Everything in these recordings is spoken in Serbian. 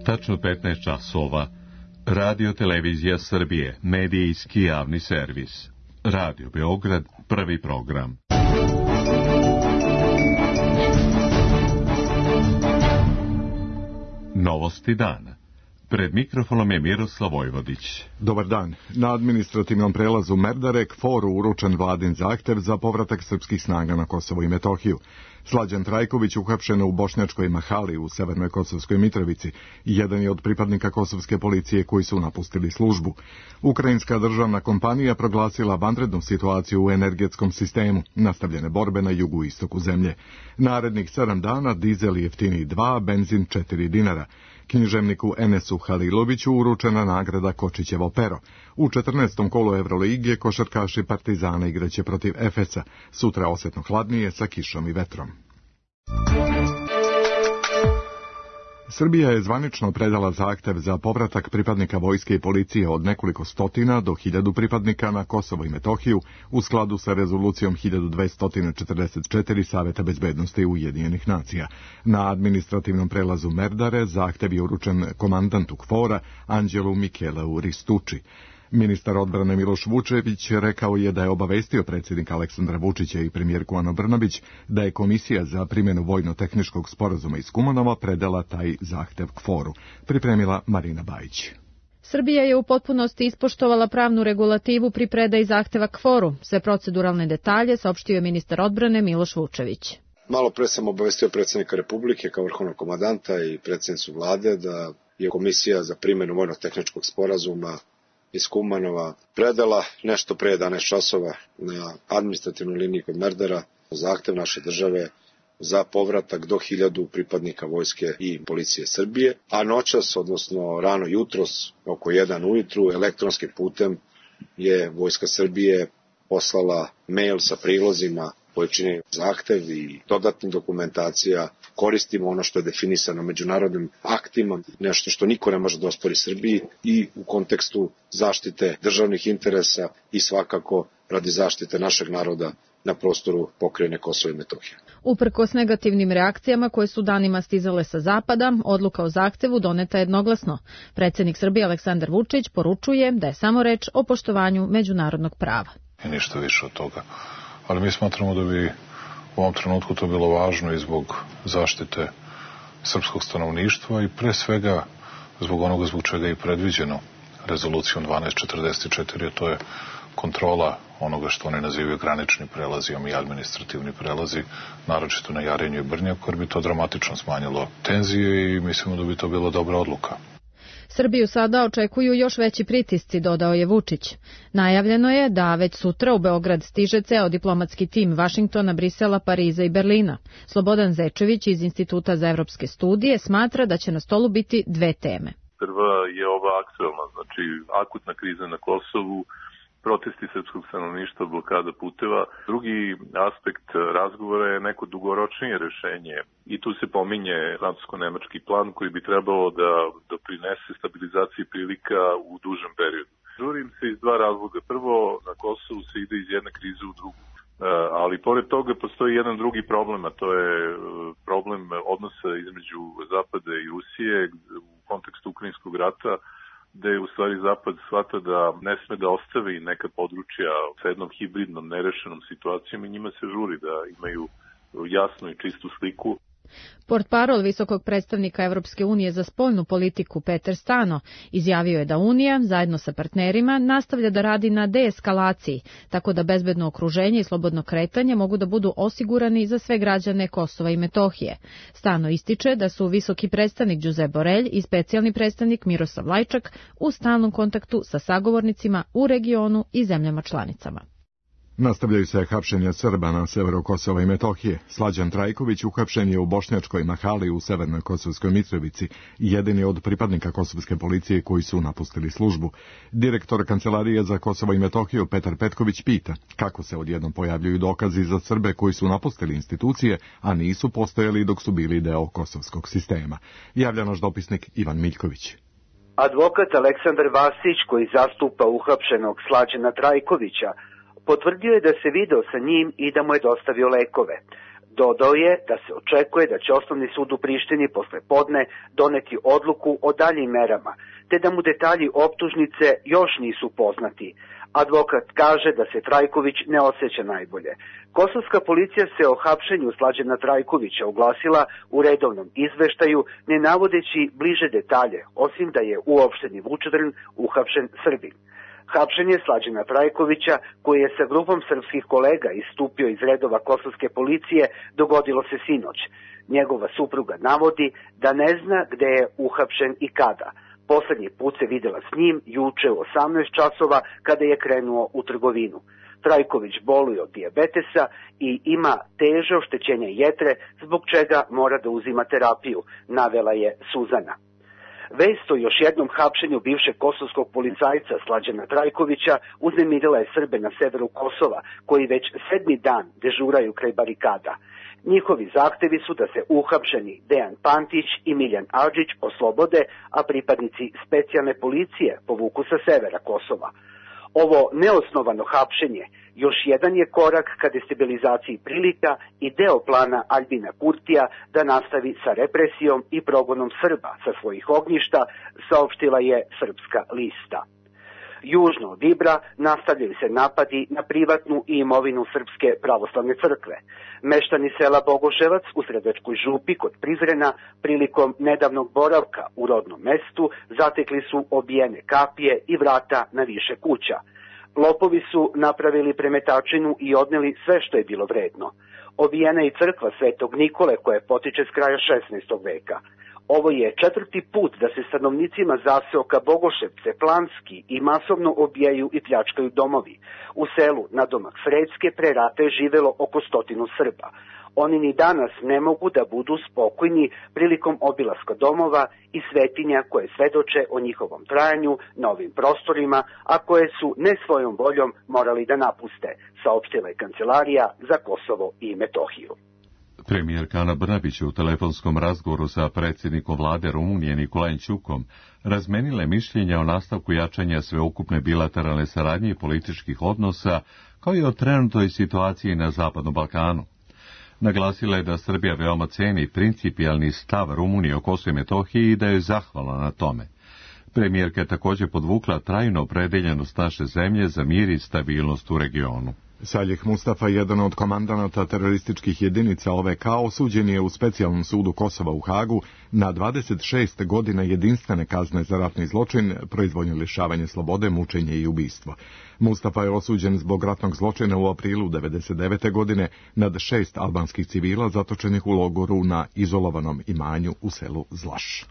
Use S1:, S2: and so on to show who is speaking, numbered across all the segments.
S1: Tačno 15 časova. Radio Televizija Srbije, medijski javni servis. Radio Beograd, prvi program. Novosti dana. Pred mikrofonom je Miroslav Vojvodić.
S2: Dobar dan. Na administrativnom prelazu Merdare KFOR-u uručen vladin zahtev za povratak srpskih snaga na Kosovo i Metohiju. Slađan Trajković uhapšen u Bošnjačkoj Mahali u Severnoj Kosovskoj Mitrovici. Jedan je od pripadnika kosovske policije koji su napustili službu. Ukrajinska državna kompanija proglasila vanrednu situaciju u energetskom sistemu. Nastavljene borbe na jugu istoku zemlje. Narednih 7 dana dizel jeftiniji 2, benzin 4 dinara. Književniku Enesu Haliloviću uručena nagrada Kočićevo pero. U 14. kolu Evrolige košarkaši Partizana igraće protiv Efesa. Sutra osjetno hladnije sa kišom i vetrom. Srbija je zvanično predala zahtev za povratak pripadnika vojske i policije od nekoliko stotina do 1000 pripadnika na Kosovo i Metohiju u skladu sa rezolucijom 1244 Saveta bezbednosti Ujedinjenih nacija. Na administrativnom prelazu Merdare zahtev je uručen komandantu KFOR-a Anđelu Mikeleu Ristucci. Ministar odbrane Miloš Vučević rekao je da je obavestio predsjednika Aleksandra Vučića i premijerku Anu Brnabić da je Komisija za primjenu vojno-tehničkog sporazuma iz Kumanova predala taj zahtev KFOR-u. Pripremila Marina Bajić.
S3: Srbija je u potpunosti ispoštovala pravnu regulativu pri predaji zahteva KFOR-u. Sve proceduralne detalje saopštio je ministar odbrane Miloš Vučević.
S4: Malo pre sam obavestio predsjednika Republike kao vrhovnog komandanta i predsjednicu vlade da je Komisija za primjenu vojno-tehničkog sporazuma iz Kumanova predala nešto pre 11 časova na administrativnoj liniji kod Merdara zahtev naše države za povratak do 1000 pripadnika vojske i policije Srbije, a noćas, odnosno rano jutros, oko 1 ujutru, elektronskim putem je Vojska Srbije poslala mail sa prilozima koji čine zahtev i dodatnih dokumentacija. Koristimo ono što je definisano međunarodnim aktima, nešto što niko ne može da ospori Srbiji i u kontekstu zaštite državnih interesa i svakako radi zaštite našeg naroda na prostoru pokrajine Kosova i Metohije.
S3: Uprkos negativnim reakcijama koje su danima stizale sa zapada, odluka o zahtevu doneta jednoglasno. Predsjednik Srbije Aleksandar Vučić poručuje da je samo reč o poštovanju međunarodnog prava.
S5: I ništa više od toga. Ali mi smatramo da bi u ovom trenutku to bilo važno i zbog zaštite srpskog stanovništva i pre svega zbog onoga zbog čega je i predviđeno rezolucijom 1244, a to je kontrola onoga što oni nazivaju granični prelazijom i administrativni prelazi, naročito na Jarinju i Brnjaku, jer bi to dramatično smanjilo tenzije i mislimo da bi to bila dobra odluka.
S3: Srbiju sada očekuju još veći pritisci, dodao je Vučić. Najavljeno je da već sutra u Beograd stiže ceo diplomatski tim Vašingtona, Brisela, Pariza i Berlina. Slobodan Zečević iz Instituta za evropske studije smatra da će na stolu biti 2 teme.
S6: Prva je ova aktuelna, znači akutna kriza na Kosovu, protesti srpskog stanovništva, blokada puteva. Drugi aspekt razgovora je neko dugoročnije rešenje i tu se pominje francusko-nemački plan koji bi trebalo da doprinese stabilizaciji prilika u dužem periodu. Žurim se iz 2 razloga. Prvo, na Kosovu se ide iz jedne krize u drugu. Ali pored toga postoji jedan drugi problem, a to je problem odnosa između Zapada i Rusije u kontekstu Ukrajinskog rata, da je u stvari Zapad shvata da ne sme da ostavi neka područja sa jednom hibridnom, nerešenom situacijom i njima se žuri da imaju jasnu i čistu sliku.
S3: Portparol visokog predstavnika Evropske unije za spoljnu politiku Peter Stano izjavio je da Unija, zajedno sa partnerima, nastavlja da radi na deeskalaciji, tako da bezbedno okruženje i slobodno kretanje mogu da budu osigurani za sve građane Kosova i Metohije. Stano ističe da su visoki predstavnik Josep Borrell i specijalni predstavnik Miroslav Lajčak u stalnom kontaktu sa sagovornicima u regionu i zemljama članicama.
S2: Nastavljaju se hapšenja Srba na severu Kosova i Metohije. Slađan Trajković uhapšen je u Bošnjačkoj Mahali u Severnoj Kosovskoj Mitrovici, jedini od pripadnika kosovske policije koji su napustili službu. Direktor Kancelarije za Kosovo i Metohiju Petar Petković pita kako se odjednom pojavljuju dokazi za Srbe koji su napustili institucije, a nisu postojali dok su bili deo kosovskog sistema. Javlja naš dopisnik Ivan Miljković.
S7: Advokat Aleksandar Vasić, koji zastupa uhapšenog Slađana Trajkovića, potvrdio je da se video sa njim i da mu je dostavio lekove. Dodao je da se očekuje da će Osnovni sud u Prištini posle podne doneti odluku o daljim merama, te da mu detalji optužnice još nisu poznati. Advokat kaže da se Trajković ne osjeća najbolje. Kosovska policija se o hapšenju Slađana Trajkovića oglasila u redovnom izveštaju, ne navodeći bliže detalje, osim da je uopšteni Vučedrn uhapšen Srbin. Hapšenje Slađana Trajkovića, koji je sa grupom srpskih kolega istupio iz redova kosovske policije, dogodilo se sinoć. Njegova supruga navodi da ne zna gde je uhapšen i kada. Poslednji put se videla s njim juče u 18 časova kada je krenuo u trgovinu. Trajković boluje od dijabetesa i ima teže oštećenje jetre, zbog čega mora da uzima terapiju, navela je Suzana. Vest o još jednom hapšenju bivšeg kosovskog policajca Slađana Trajkovića uznemirila je Srbe na severu Kosova, koji već 7. dan dežuraju kraj barikada. Njihovi zahtevi su da se uhapšeni Dejan Pantić i Miljan Adžić oslobode, a pripadnici specijalne policije povuku sa severa Kosova. Ovo neosnovano hapšenje još jedan je korak ka destabilizaciji prilika i deo plana Aljbina Kurtija da nastavi sa represijom i progonom Srba sa svojih ognjišta, saopštila je Srpska lista. Južno od Ibra nastavljaju se napadi na privatnu i imovinu Srpske pravoslavne crkve. Meštani sela Bogoševac u Sredačkoj župi kod Prizrena prilikom nedavnog boravka u rodnom mestu zatekli su obijene kapije i vrata na više kuća. Lopovi su napravili premetačinu i odneli sve što je bilo vredno. Obijena je i crkva Svetog Nikole koja potiče s kraja 16. veka. Ovo je 4. put da se stanovnicima zaseoka Bogoševce planski i masovno obijaju i pljačkaju domovi. U selu nadomak Frecke pre rata je živelo oko 100 Srba. Oni ni danas ne mogu da budu spokojni prilikom obilaska domova i svetinja koje svedoče o njihovom trajanju na ovim prostorima, a koje su ne svojom voljom morali da napuste, saopštila je Kancelarija za Kosovo i Metohiju.
S1: Premijerka Ana Brnabić u telefonskom razgovoru sa predsjednikom vlade Rumunije Nikolajem Ćukom razmenile mišljenja o nastavku jačanja sveukupne bilateralne saradnje i političkih odnosa, kao i o trenutnoj situaciji na Zapadnom Balkanu. Naglasila je da Srbija veoma ceni principijalni stav Rumunije o Kosovu i Metohiji i da je zahvalna na tome. Premijerka je također podvukla trajnu opredeljenost naše zemlje za mir i stabilnost u regionu.
S2: Saljih Mustafa, jedan od komandanata terorističkih jedinica OVK, osuđen je u specijalnom sudu Kosova u Hagu na 26 godina jedinstvene kazne za ratni zločin, proizvoljno lišavanje slobode, mučenje i ubistvo. Mustafa je osuđen zbog ratnog zločina u aprilu 1999. godine nad 6 albanskih civila zatočenih u logoru na izolovanom imanju u selu Zlaš.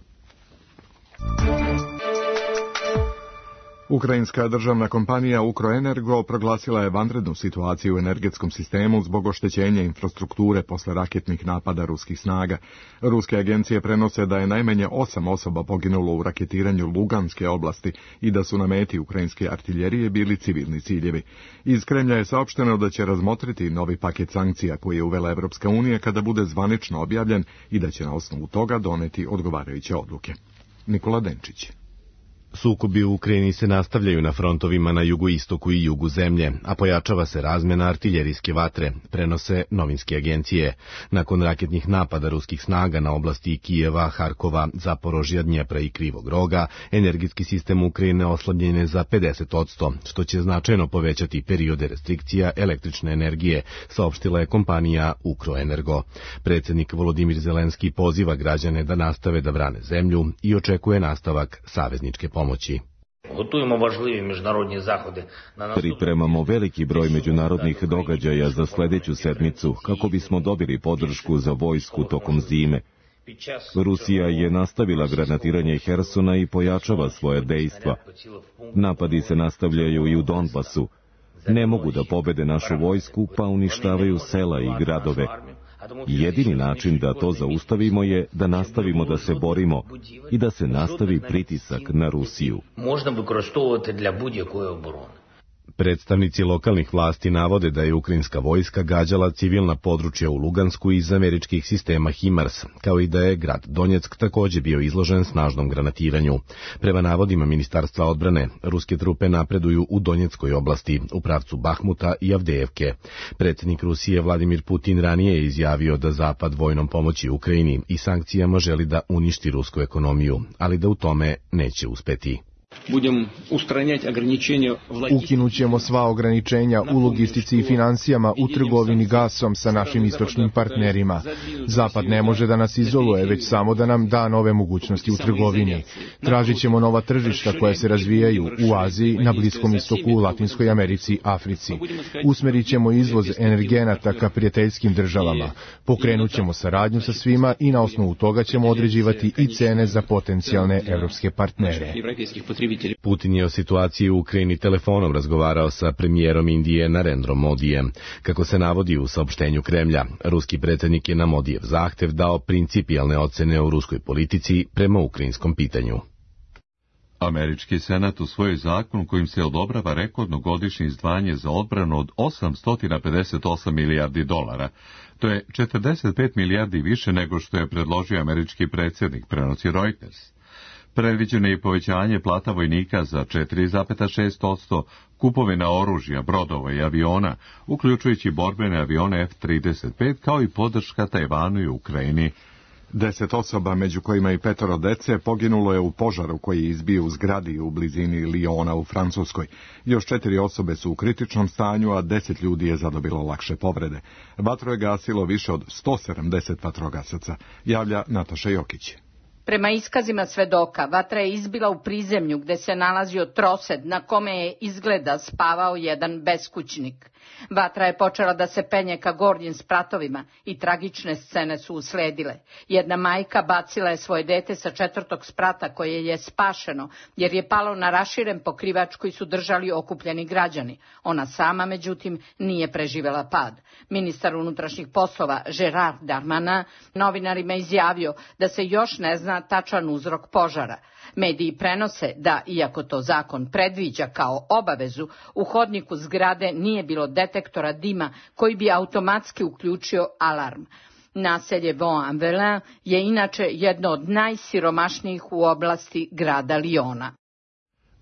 S2: Ukrajinska državna kompanija Ukroenergo proglasila je vanrednu situaciju u energetskom sistemu zbog oštećenja infrastrukture posle raketnih napada ruskih snaga. Ruske agencije prenose da je najmanje 8 osoba poginulo u raketiranju Luganske oblasti i da su na meti ukrajinske artiljerije bili civilni ciljevi. Iz Kremlja je saopšteno da će razmotriti novi paket sankcija koji je uvela Evropska unija kada bude zvanično objavljen i da će na osnovu toga doneti odgovarajuće odluke. Nikola Denčić.
S8: Sukobi u Ukrajini se nastavljaju na frontovima na jugoistoku i jugu zemlje, a pojačava se razmjena artiljerijske vatre, prenose novinske agencije. Nakon raketnih napada ruskih snaga na oblasti Kijeva, Harkova, Zaporožja, Dnjepra i Krivog Roga, energetski sistem Ukrajine oslabljen je za 50%, što će značajno povećati periode restrikcija električne energije, saopštila je kompanija Ukroenergo. Predsjednik Volodimir Zelenski poziva građane da nastave da brane zemlju i očekuje nastavak savezničke pomoći.
S9: Pripremamo veliki broj međunarodnih događaja za sljedeću sedmicu kako bismo dobili podršku za vojsku tokom zime. Rusija je nastavila granatiranje Hersona i pojačava svoje dejstva. Napadi se nastavljaju i u Donbasu. Ne mogu da pobede našu vojsku, pa uništavaju sela i gradove. Jedini način da to zaustavimo je da nastavimo da se borimo i da se nastavi pritisak na Rusiju.
S8: Predstavnici lokalnih vlasti navode da je ukrajinska vojska gađala civilna područja u Lugansku iz američkih sistema HIMARS, kao i da je grad Donjeck takođe bio izložen snažnom granatiranju. Prema navodima Ministarstva odbrane, ruske trupe napreduju u Donjeckoj oblasti, u pravcu Bahmuta i Avdejevke. Predsjednik Rusije Vladimir Putin ranije je izjavio da Zapad vojnom pomoći Ukrajini i sankcijama želi da uništi rusku ekonomiju, ali da u tome neće uspeti.
S10: Ukinućemo sva ograničenja u logistici i financijama u trgovini gasom sa našim istočnim partnerima. Zapad ne može da nas izoluje, već samo da nam da nove mogućnosti u trgovini. Tražit ćemo nova tržišta koja se razvijaju u Aziji, na Bliskom istoku, Latinskoj Americi, Africi. Usmerit ćemo izvoz energenata ka prijateljskim državama. Pokrenut ćemo saradnju sa svima i na osnovu toga ćemo određivati i cene za potencijalne evropske partnere.
S8: Putin je o situaciji u Ukrajini telefonom razgovarao sa premijerom Indije Narendrom Modijem. Kako se navodi u saopštenju Kremlja, ruski predsjednik je na Modijev zahtev dao principijalne ocene o ruskoj politici prema ukrajinskom pitanju.
S1: Američki senat usvojio zakon kojim se odobrava rekordno godišnje izdvajanje za odbranu od 858 milijardi dolara. To je 45 milijardi više nego što je predložio američki predsjednik, prenosi Reuters. Predviđeno je i povećanje plata vojnika za 4,6%, kupovina oružja, brodova i aviona, uključujući borbene avione F-35, kao i podrška Tajvanu i Ukrajini.
S2: 10 osoba, među kojima i 5 dece, poginulo je u požaru koji je izbio u zgradi u blizini Liona u Francuskoj. Još 4 osobe su u kritičnom stanju, a 10 ljudi je zadobilo lakše povrede. Vatru je gasilo više od 170 vatrogasaca, javlja Nataša Jokić.
S11: Prema iskazima svedoka, vatra je izbila u prizemlju gde se nalazio trosed na kome je izgleda spavao jedan beskućnik. Vatra je počela da se penje ka gornjim spratovima i tragične scene su usledile. Jedna majka bacila je svoje dete sa 4. sprata koje je spašeno jer je palo na raširen pokrivač koji su držali okupljeni građani. Ona sama, međutim, nije preživela pad. Ministar unutrašnjih poslova Gerard Darmanin novinarima izjavio da se još ne zna tačan uzrok požara. Mediji prenose da, iako to zakon predviđa kao obavezu, u hodniku zgrade nije bilo detektora dima koji bi automatski uključio alarm. Naselje Vaux-en-Velin je inače jedno od najsiromašnijih u oblasti grada Liona.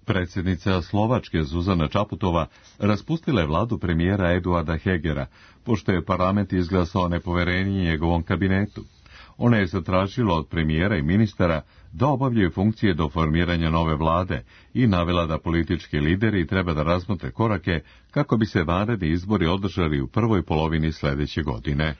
S1: Predsjednica Slovačke Zuzana Čaputova raspustila je vladu premijera Eduarda Hegera, pošto je parlament izglasao nepoverenje njegovom kabinetu. Ona je zatražila od premijera i ministara da obavljaju funkcije do formiranja nove vlade i navela da politički lideri treba da razmotre korake kako bi se vanredni izbori održali u prvoj polovini sljedeće godine.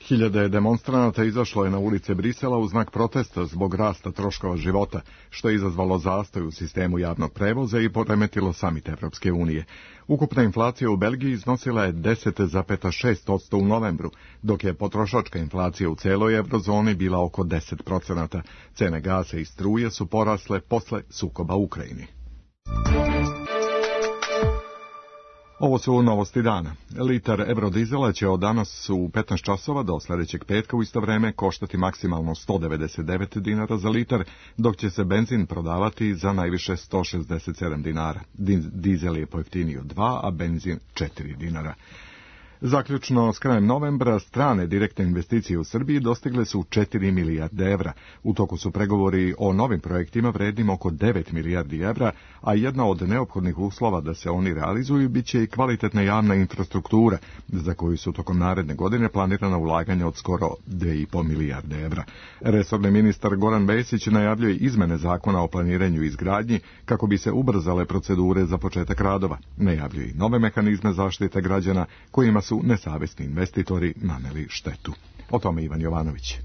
S2: Hiljade demonstranata izašlo je na ulice Brisela u znak protesta zbog rasta troškova života, što je izazvalo zastoj u sistemu javnog prevoza i poremetilo samit Evropske unije. Ukupna inflacija u Belgiji iznosila je 10,6% u novembru, dok je potrošačka inflacija u celoj eurozoni bila oko 10%. Cene gasa i struje su porasle posle sukoba u Ukrajini. Ovo su novosti dana. Litar eurodizela će od danas u 15 časova do sljedećeg petka u isto vreme koštati maksimalno 199 dinara za litar, dok će se benzin prodavati za najviše 167 dinara. Dizel je pojeftinio 2, a benzin 4 dinara. Zaključno s krajem novembra, strane direktne investicije u Srbiji dostigle su 4 milijarde evra. U toku su pregovori o novim projektima vrednim oko 9 milijardi evra, a jedna od neophodnih uslova da se oni realizuju biće i kvalitetna javna infrastruktura, za koju su tokom naredne godine planirana ulaganja od skoro 2,5 milijarde evra. Resorni ministar Goran Vesić najavljuje izmene zakona o planiranju i izgradnji kako bi se ubrzale procedure za početak radova. Najavljuje i nove mehanizme zaštite građana kojima su nesavesni investitori naneli štetu. O tome Ivan Jovanović.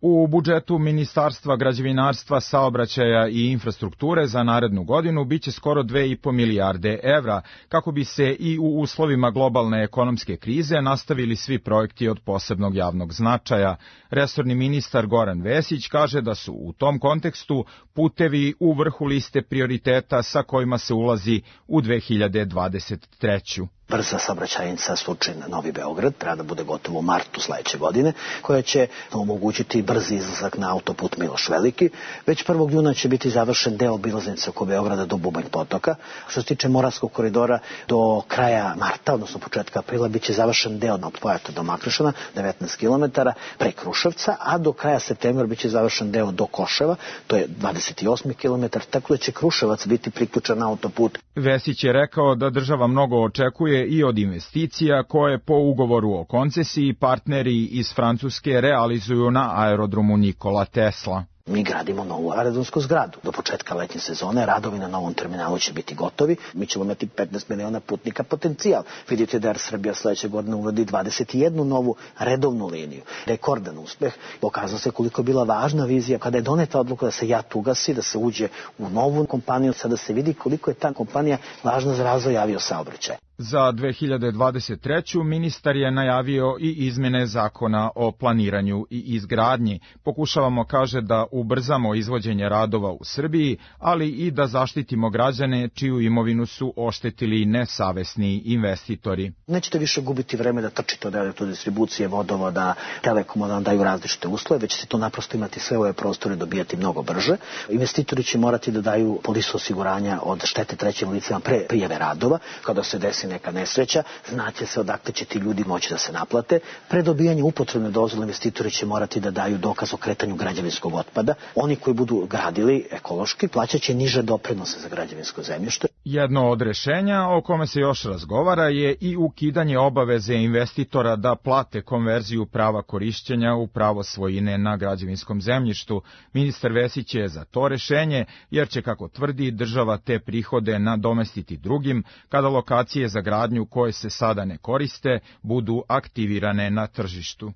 S12: U budžetu Ministarstva građevinarstva, saobraćaja i infrastrukture za narednu godinu biće skoro 2,5 milijarde evra, kako bi se i u uslovima globalne ekonomske krize nastavili svi projekti od posebnog javnog značaja. Resorni ministar Goran Vesić kaže da su u tom kontekstu putevi u vrhu liste prioriteta sa kojima se ulazi u 2023.
S13: brza saobraćajnica Surčin-Novi Beograd, treba da bude gotovo u martu sledeće godine, koja će omogućiti brzi izlazak na autoput Miloš Veliki. Već 1. juna će biti završen deo obilaznice oko Beograda do Bubanj potoka. Što se tiče Moravskog koridora, do kraja marta, odnosno početka aprila, biće završen deo od Pojata do Makrešana, 19 km, pre Kruševca, a do kraja septembra biće završen deo do Koševa, to je 28 km, tako da će Kruševac biti priključen na autoput.
S12: Vesić je rekao da država mnogo očekuje i od investicija koje po ugovoru o koncesiji partneri iz Francuske realizuju na aerodromu Nikola Tesla.
S13: Mi gradimo novu aerodromsku zgradu. Do početka letnje sezone radovi na novom terminalu će biti gotovi. Mi ćemo imati 15 miliona putnika potencijal. Vidite da Air Srbija sledeće godine uvodi 21 novu redovnu liniju. Rekordan uspeh. Pokazao se koliko je bila važna vizija kada je doneta odluka da se JAT ugasi, da se uđe u novu kompaniju, sada se vidi koliko je ta kompanija važna za razvoj aviosaobraćaja.
S12: Za 2023. ministar je najavio i izmene zakona o planiranju i izgradnji. Pokušavamo, kaže, da ubrzamo izvođenje radova u Srbiji, ali i da zaštitimo građane čiju imovinu su oštetili nesavesni investitori.
S13: Nećete više gubiti vreme da trčite od elektrodistribucije, vodovoda, telekoma, da vam daju različite uslove, već ćete to naprosto imati sve ove prostore dobijati mnogo brže. Investitori će morati da daju polisu osiguranja od štete trećim licima pre prijave radova, kada se desi neka nesreća, znaće se odakle će ti ljudi moći da se naplate. Pre dobijanja upotrebne dozvole investitori će morati da daju dokaz o kretanju građevinskog otpada. Oni koji budu gradili ekološki plaćaće niže doprinose za građevinsko zemljište.
S12: Jedno od rešenja o kome se još razgovara je i ukidanje obaveze investitora da plate konverziju prava korišćenja u pravo svojine na građevinskom zemljištu. Ministar Vesić je za to rešenje, jer će, kako tvrdi, država te prihode nadomestiti drugim kada lokacije za gradnju koje se sada ne koriste budu aktivirane na tržištu.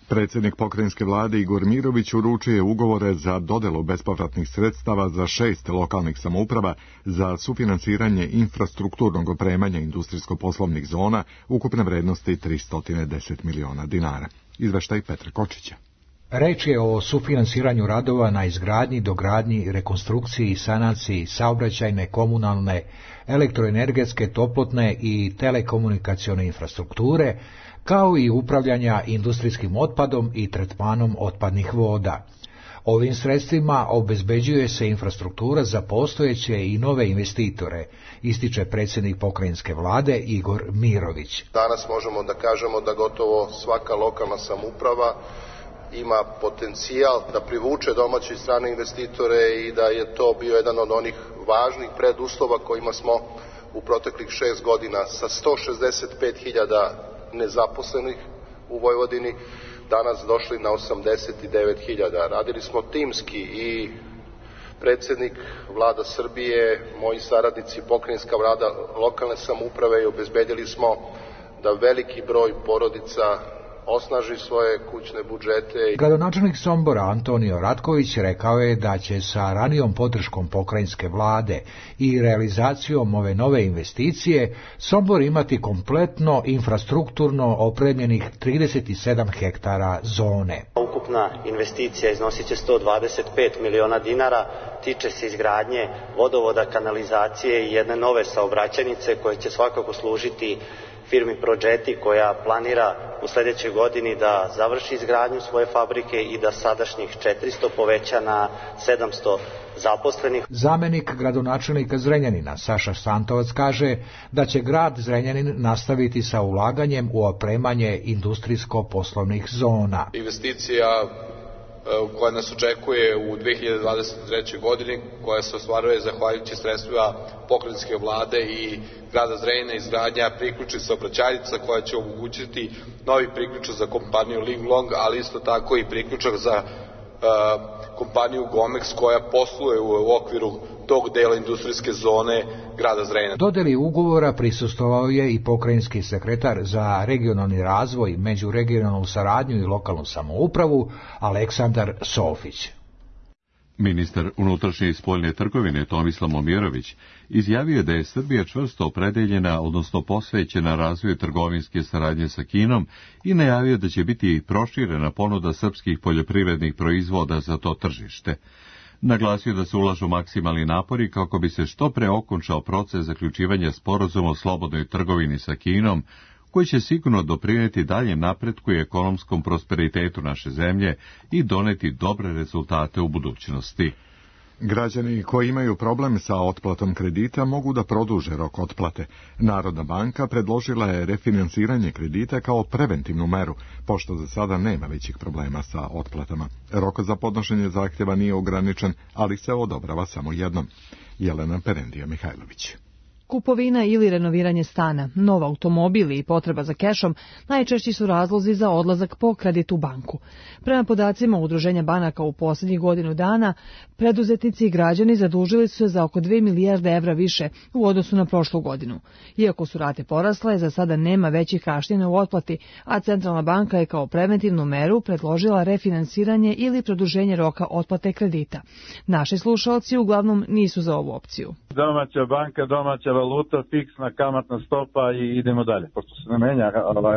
S2: Predsjednik pokrajinske vlade Igor Mirović uručio je ugovore za dodelu bespovratnih sredstava za 6 lokalnih samouprava za sufinansiranje infrastrukturnog opremanja industrijsko-poslovnih zona ukupne vrednosti 310 miliona dinara. Izveštaj Petra Kočića.
S14: Reč je o sufinansiranju radova na izgradnji, dogradnji, rekonstrukciji i sanaciji saobraćajne, komunalne, elektroenergetske, toplotne i telekomunikacione infrastrukture, kao i upravljanja industrijskim otpadom i tretmanom otpadnih voda. Ovim sredstvima obezbeđuje se infrastruktura za postojeće i nove investitore, ističe predsjednik pokrajinske vlade Igor Mirović.
S15: Danas možemo da kažemo da gotovo svaka lokalna samouprava ima potencijal da privuče domaće i strane investitore i da je to bio jedan od onih važnih preduslova kojima smo u proteklih 6 godina sa 165.000 nezaposlenih u Vojvodini danas došli na 89.000. Radili smo timski i predsjednik vlada Srbije, moji saradnici, pokrajinska vlada, lokalne samouprave i obezbedili smo da veliki broj porodica osnaži svoje kućne budžete.
S14: Gradonačelnik Sombora Antonio Ratković rekao je da će sa ranijom podrškom pokrajinske vlade i realizacijom ove nove investicije Sombor imati kompletno infrastrukturno opremljenih 37 hektara zone.
S16: Ukupna investicija iznosit će 125 miliona dinara, tiče se izgradnje vodovoda, kanalizacije i jedne nove saobraćajnice koje će svakako služiti firmi Prođeti koja planira u sledećoj godini da završi izgradnju svoje fabrike i da sadašnjih 400 poveća na 700 zaposlenih.
S14: Zamenik gradonačelnika Zrenjanina Saša Stantovac kaže da će grad Zrenjanin nastaviti sa ulaganjem u opremanje industrijsko-poslovnih zona.
S17: Investicija koja nas očekuje u 2023. godini, koja se ostvaruje zahvaljujući sredstvima pokrajinske vlade i grada Zrenjanina, izgradnja priključnih saobraćajnica koja će omogućiti novi priključak za kompaniju Linglong, ali isto tako i priključak za kompaniju Gomex koja posluje u okviru tog dela industrijske zone grada Zrenjanina.
S14: Dodeli ugovora prisustvovao je i pokrajinski sekretar za regionalni razvoj, međuregionalnu saradnju i lokalnu samoupravu Aleksandar Sofić.
S1: Ministar unutrašnje i spoljne trgovine Tomislav Momirović izjavio da je Srbija čvrsto opredeljena, odnosno posvećena razvoju trgovinske saradnje sa Kinom i najavio da će biti proširena ponuda srpskih poljoprivrednih proizvoda za to tržište. Naglasio da se ulažu maksimalni napori kako bi se što pre okončao proces zaključivanja sporazuma o slobodnoj trgovini sa Kinom, koji će sigurno doprineti daljem napretku i ekonomskom prosperitetu naše zemlje i doneti dobre rezultate u budućnosti.
S2: Građani koji imaju problem sa otplatom kredita mogu da produže rok otplate. Narodna banka predložila je refinansiranje kredita kao preventivnu meru, pošto za sada nema većih problema sa otplatama. Rok za podnošenje zahtjeva nije ograničen, ali se odobrava samo jednom. Jelena Perendija-Mihajlović.
S18: Kupovina ili renoviranje stana, nov automobil i potreba za kešom najčešći su razlozi za odlazak po kredit u banku. Prema podacima Udruženja banaka u posljednjih godinu dana, preduzetnici i građani zadužili su se za oko 2 milijarde evra više u odnosu na prošlu godinu. Iako su rate porasle, za sada nema većih kašnjenja u otplati, a Centralna banka je kao preventivnu meru predložila refinansiranje ili produženje roka otplate kredita. Naši slušalci uglavnom nisu za ovu opciju.
S19: Domaća banka, domaća valuta, fiksna kamatna stopa i idemo dalje. Pošto se ne menja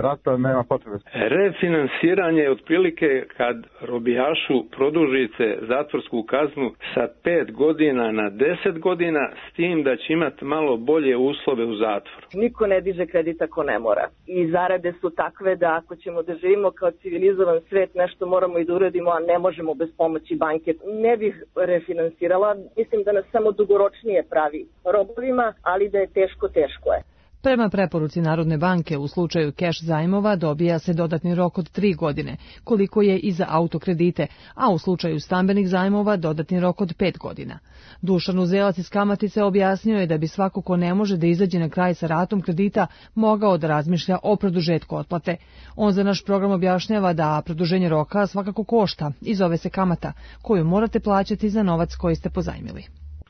S19: rata, nema potrebe.
S20: Refinansiranje je otprilike kad robijašu produžite zatvorsku kaznu sa 5 godina na 10 godina, s tim da će imati malo bolje uslove u zatvoru.
S21: Niko ne diže kredit ako ne mora. I zarade su takve da ako ćemo da živimo kao civilizovan svet, nešto moramo i da uradimo, a ne možemo bez pomoći banke. Ne bih refinansirala, mislim da nas samo dugoročnije pravi robovima, ali da je teško je.
S18: Prema preporuci Narodne banke, u slučaju keš zajmova dobija se dodatni rok od 3 godine, koliko je i za autokredite, a u slučaju stambenih zajmova dodatni rok od 5 godina. Dušan Uzelac iz Kamatice objasnio je da bi svako ko ne može da izađe na kraj sa ratom kredita mogao da razmišlja o produžetku otplate. On za naš program objašnjava da produženje roka svakako košta i zove se kamata, koju morate plaćati za novac koji ste pozajmili.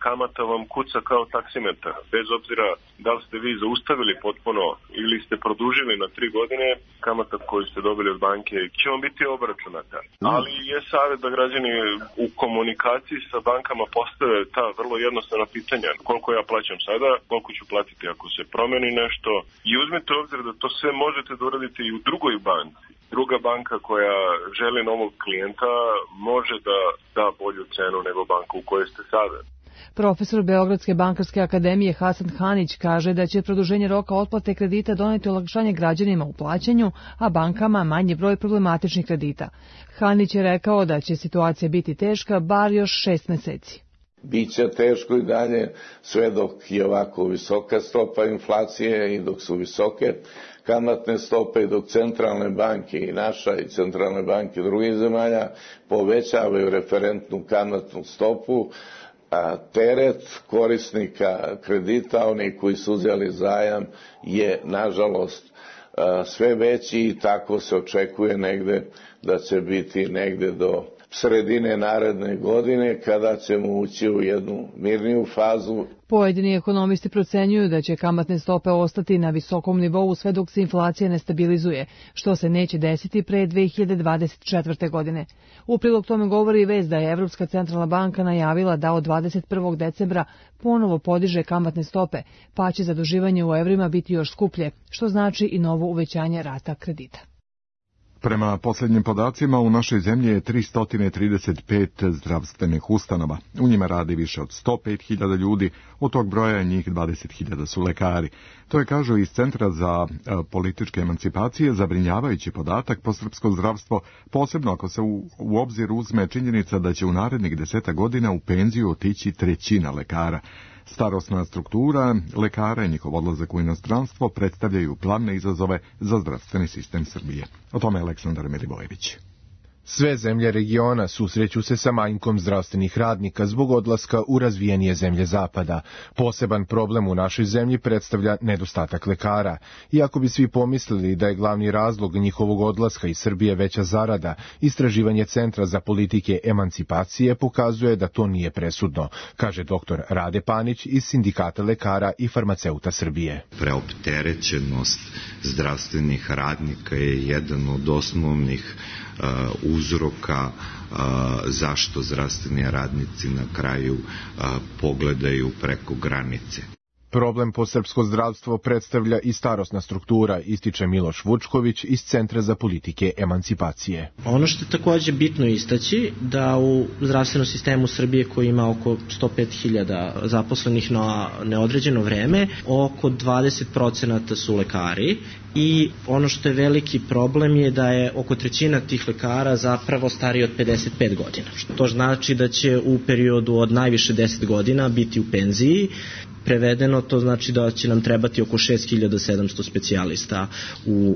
S6: Kamata vam kuca kao taksimetar, bez obzira da li ste vi zaustavili potpuno ili ste produžili na 3 godine, kamata koju ste dobili od banke će vam biti obračunata. Ali je savjet da građani u komunikaciji sa bankama postave ta vrlo jednostavna pitanja. Koliko ja plaćam sada, koliko ću platiti ako se promeni nešto i uzmite u obzir da to sve možete da uradite i u drugoj banci. Druga banka koja želi novog klijenta može da da bolju cenu nego banka u kojoj ste sada.
S18: Profesor Beogradske bankarske akademije Hasan Hanić kaže da će produženje roka otplate kredita doneti olakšanje građanima u plaćanju, a bankama manji broj problematičnih kredita. Hanić je rekao da će situacija biti teška bar još 6 meseci.
S22: Biće teško i dalje sve dok je ovako visoka stopa inflacije i dok su visoke kamatne stope i dok centralne banke i naša i centralne banke drugih zemalja povećavaju referentnu kamatnu stopu, a teret korisnika kredita, oni koji su uzeli zajam, je nažalost sve veći i tako se očekuje negde da će biti negde do sredine naredne godine kada ćemo ući u jednu mirniju fazu.
S18: Pojedini ekonomisti procenjuju da će kamatne stope ostati na visokom nivou sve dok se inflacija ne stabilizuje, što se neće desiti pre 2024. godine. U prilog tome govori i vest da je Evropska centralna banka najavila da od 21. decembra ponovo podiže kamatne stope, pa će zaduživanje u evrima biti još skuplje, što znači i novo uvećanje rata kredita.
S2: Prema posljednjim podacima, u našoj zemlji je 335 zdravstvenih ustanova. U njima radi više od 105.000 ljudi, od tog broja njih 20.000 su lekari. To je, kažu iz Centra za političke emancipacije, zabrinjavajući podatak po srpsko zdravstvo, posebno ako se u obzir uzme činjenica da će u narednih 10 godina u penziju otići 1/3 lekara. Starosna struktura lekara i njihov odlazak u inostranstvo predstavljaju glavne izazove za zdravstveni sistem Srbije. O tome je Aleksandar Milivojević.
S10: Sve zemlje regiona susreću se sa manjkom zdravstvenih radnika zbog odlaska u razvijenije zemlje zapada. Poseban problem u našoj zemlji predstavlja nedostatak lekara. Iako bi svi pomislili da je glavni razlog njihovog odlaska iz Srbije veća zarada, istraživanje Centra za politike emancipacije pokazuje da to nije presudno, kaže dr. Rade Panić iz Sindikata lekara i farmaceuta Srbije.
S23: Preopterećenost zdravstvenih radnika je jedan od osnovnih uzroka zašto zdravstveni radnici na kraju pogledaju preko granice.
S10: Problem po srpsko zdravstvo predstavlja i starosna struktura, ističe Miloš Vučković iz Centra za politike emancipacije.
S3: Ono što je takođe bitno istaći, da u zdravstvenom sistemu Srbije koji ima oko 105.000 zaposlenih na neodređeno vreme, oko 20% su lekari i ono što je veliki problem je da je oko trećina tih lekara zapravo stariji od 55 godina. Što znači da će u periodu od najviše 10 godina biti u penziji. Prevedeno to znači da će nam trebati oko 6.700 specijalista u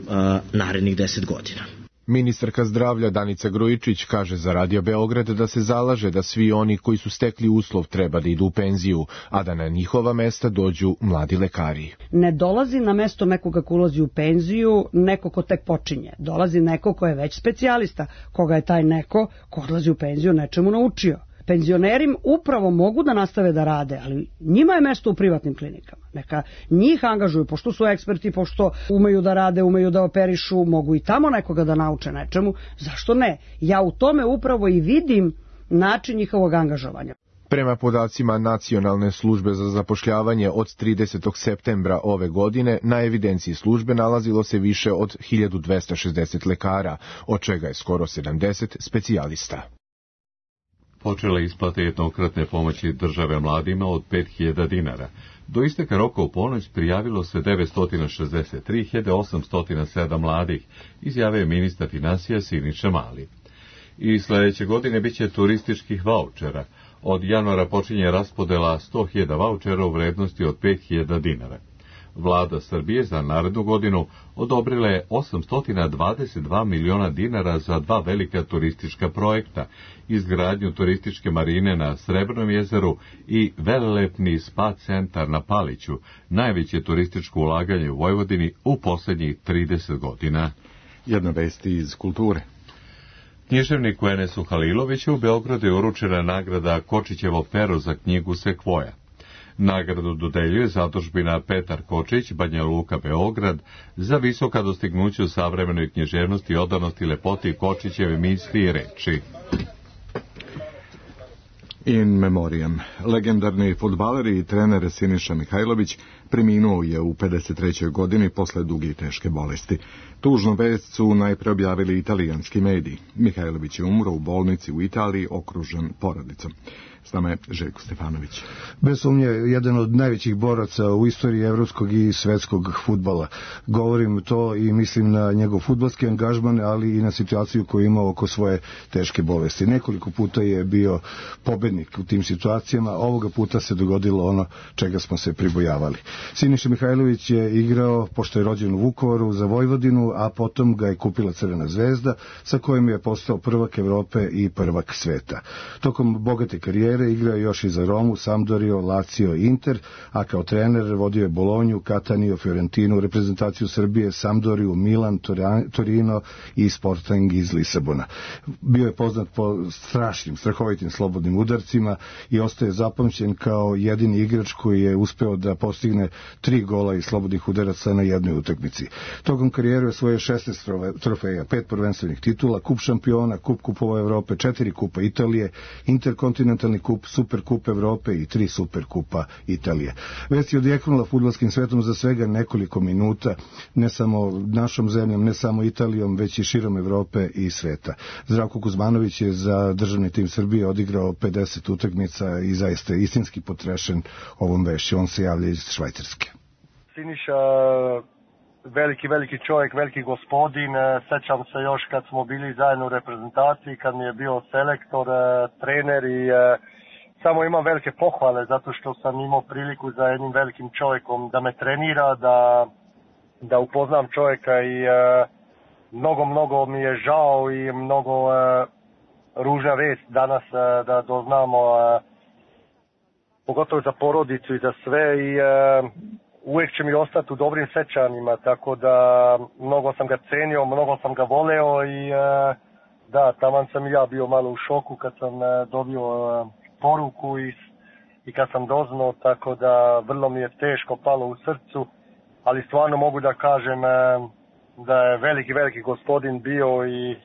S3: narednih 10 godina.
S10: Ministarka zdravlja Danica Grujičić kaže za Radio Beograd da se zalaže da svi oni koji su stekli uslov treba da idu u penziju, a da na njihova mesta dođu mladi lekari.
S4: Ne dolazi na mesto nekoga ko ulazi u penziju neko ko tek počinje. Dolazi neko ko je već specijalista, koga je taj neko ko odlazi u penziju nečemu naučio. Penzioneri upravo mogu da nastave da rade, ali njima je mesto u privatnim klinikama. Neka njih angažuju, pošto su eksperti, pošto umeju da rade, umeju da operišu, mogu i tamo nekoga da nauče nečemu. Zašto ne? Ja u tome upravo i vidim način njihovog angažovanja.
S10: Prema podacima Nacionalne službe za zapošljavanje od 30. septembra ove godine, na evidenciji službe nalazilo se više od 1260 lekara, od čega je skoro 70 specijalista.
S1: Počele isplate jednokratne pomoći države mladima od 5.000 dinara. Do isteka roka u ponoć prijavilo se 963.807 mladih, izjavio je ministar finansija Siniša Mali. I sledeće godine biće turističkih vaučera. Od januara počinje raspodela 100.000 vaučera u vrednosti od 5.000 dinara. Vlada Srbije za narednu godinu odobrila je 822 miliona dinara za 2 velika turistička projekta, izgradnju turističke marine na Srebrnom jezeru i velelepni spa centar na Paliću, najveće turističko ulaganje u Vojvodini u poslednjih 30 godina.
S2: Jedna vest iz kulture.
S1: Književniku Enesu Haliloviću u Beogradu je uručena nagrada Kočićevo pero za knjigu Sekvoja. Nagradu dodeljuje zadužbina Petar Kočić, Banja Luka, Beograd, za visoka dostignuća u savremenoj književnosti, odanosti, lepoti Kočićeve misli i reči.
S2: In memoriam. Legendarni fudbaler i trener Siniša Mihajlović preminuo je u 53. godini posle duge i teške bolesti. Tužnu vest su najpre objavili italijanski mediji. Mihajlović je umro u bolnici u Italiji, okružen porodicom. S nama je Željko Stefanović.
S5: Bez sumnje, jedan od najvećih boraca u istoriji evropskog i svetskog fudbala. Govorim to i mislim na njegov fudbalski angažman, ali i na situaciju koju imao oko svoje teške bolesti. Nekoliko puta je bio pobednik u tim situacijama, ovoga puta se dogodilo ono čega smo se pribojavali. Siniša Mihajlović je igrao, pošto je rođen u Vukovaru, za Vojvodinu, a potom ga je kupila Crvena zvezda, sa kojim je postao prvak Evrope i prvak sveta. Tokom bogate karijere igrao je još i za Romu, Sampdorio, Lazio i Inter, a kao trener vodio je Bolonju, Kataniju, Fiorentinu, reprezentaciju Srbije, Sampdoriju, Milan, Torino i Sporting iz Lisabona. Bio je poznat po strahovitim slobodnim udarcima i ostaje zapamćen kao jedini igrač koji je uspeo da postigne 3 gola iz slobodnih udaraca na jednoj utakmici. Tokom karijere je osvojio 16 trofeja, 5 prvenstvenih titula, kup šampiona, kup kupova Evrope, 4 kupa Italije, interkontinentalni kup, super kup Evrope i 3 super kupa Italije. Vest je odjeknula fudbalskim svetom za svega nekoliko minuta, ne samo našom zemljom, ne samo Italijom, već i širom Evrope i sveta. Zdravko Kuzmanović je za državni tim Srbije odigrao 50 utakmica i zaista je istinski potrešen ovom vešću. On se javlja iz Švajcarske.
S24: Siniša, veliki čovjek, veliki gospodin. Sećam se još kad smo bili zajedno u reprezentaciji, kad mi je bio selektor, trener i samo imam velike pohvale zato što sam imao priliku za jednim velikim čovjekom da me trenira, da upoznam čovjeka i mnogo mi je žao i mnogo ružna vest danas da doznamo, pogotovo za porodicu i za sve i uvijek će mi ostati u dobrim sećanjima, tako da mnogo sam ga cenio, mnogo sam ga voleo i da, taman sam i ja bio malo u šoku kad sam dobio poruku i kad sam doznao, tako da vrlo mi je teško palo u srcu, ali stvarno mogu da kažem da je veliki gospodin bio i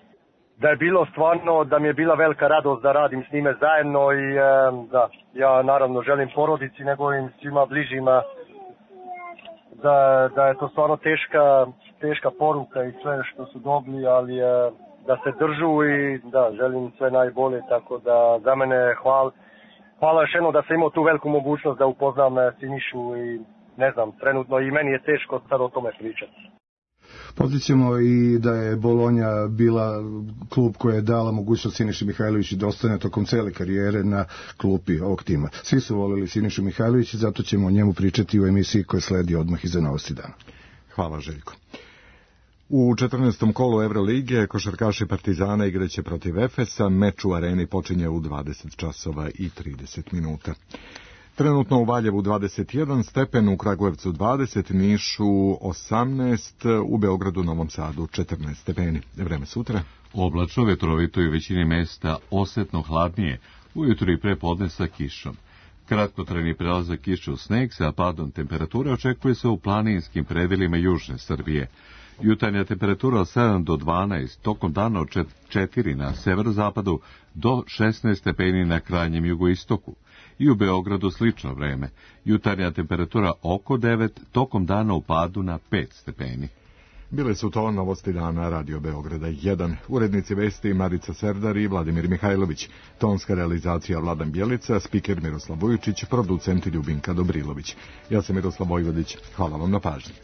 S24: da je bilo stvarno, da mi je bila velika radost da radim s njime zajedno i da, ja naravno želim porodici njegovim svima bližima da je to stvarno teška poruka i sve što su dobili, ali da se držu i da, želim sve najbolje, tako da za mene hvala još jednom da sam imao tu veliku mogućnost da upoznam Sinišu i ne znam, trenutno i meni je teško sad o tome pričati.
S5: Podsjećamo i da je Bolonja bila klub koja je dala mogućnost Siniši Mihajloviću da ostane tokom cele karijere na klupi ovog tima. Svi su volili Sinišu Mihajlovića, zato ćemo o njemu pričati u emisiji koja sledi odmah iza Novosti dana.
S2: Hvala, Željko. U 14. kolu Evrolige košarkaši Partizana igraće protiv Efesa. Meč u areni počinje u 20 časova i 30 minuta. Trenutno u Valjevu 21 stepen, u Kragujevcu 20, Nišu 18, u Beogradu, Novom Sadu 14 stepeni. Vreme sutra.
S1: Oblačno, vetrovito i u većini mesta osetno hladnije, ujutru i pre podne sa kišom. Kratkotrajni prelazak kiše u sneg sa padom temperature očekuje se u planinskim predelima južne Srbije. Jutarnja temperatura od 7 do 12, tokom dana od 4 na severozapadu do 16 stepeni na krajnjem jugoistoku. I u Beogradu slično vreme. Jutarnja temperatura oko 9, tokom dana u padu na 5 stepeni.
S2: Bile su to Novosti dana Radio Beograda 1. Urednici vesti Marica Serdar i Vladimir Mihajlović. Tonska realizacija Vladan Bjelica, spiker Miroslav Vujičić, producent Ljubinka Dobrilović. Ja sam Miroslav Vojvodić. Hvala vam na pažnji.